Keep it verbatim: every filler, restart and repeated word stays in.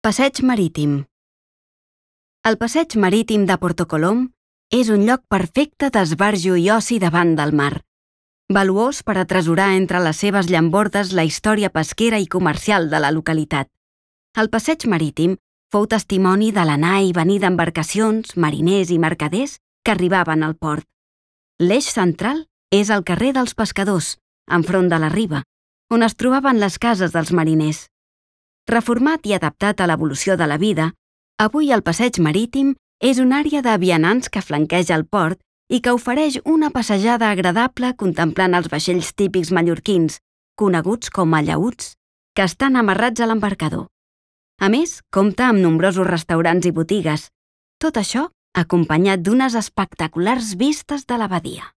Passeig marítim. El passeig marítim de Porto Colom és un lloc perfecte d'esbarjo i oci davant del mar, valuós per atresorar entre les seves llambordes la història pesquera i comercial de la localitat. El passeig marítim fou testimoni de l'anar i venir d'embarcacions, mariners i mercaders que arribaven al port. L'eix central és el carrer dels Pescadors, enfront de la riba, on es trobaven les cases dels mariners. Reformat i adaptat a l'evolució de la vida, avui el passeig marítim és una àrea de vianants que flanqueja el port i que ofereix una passejada agradable contemplant els vaixells típics mallorquins, coneguts com a llaüts, que estan amarrats a l'embarcador. A més, compta amb nombrosos restaurants i botigues, tot això acompanyat d'unes espectaculars vistes de la badia.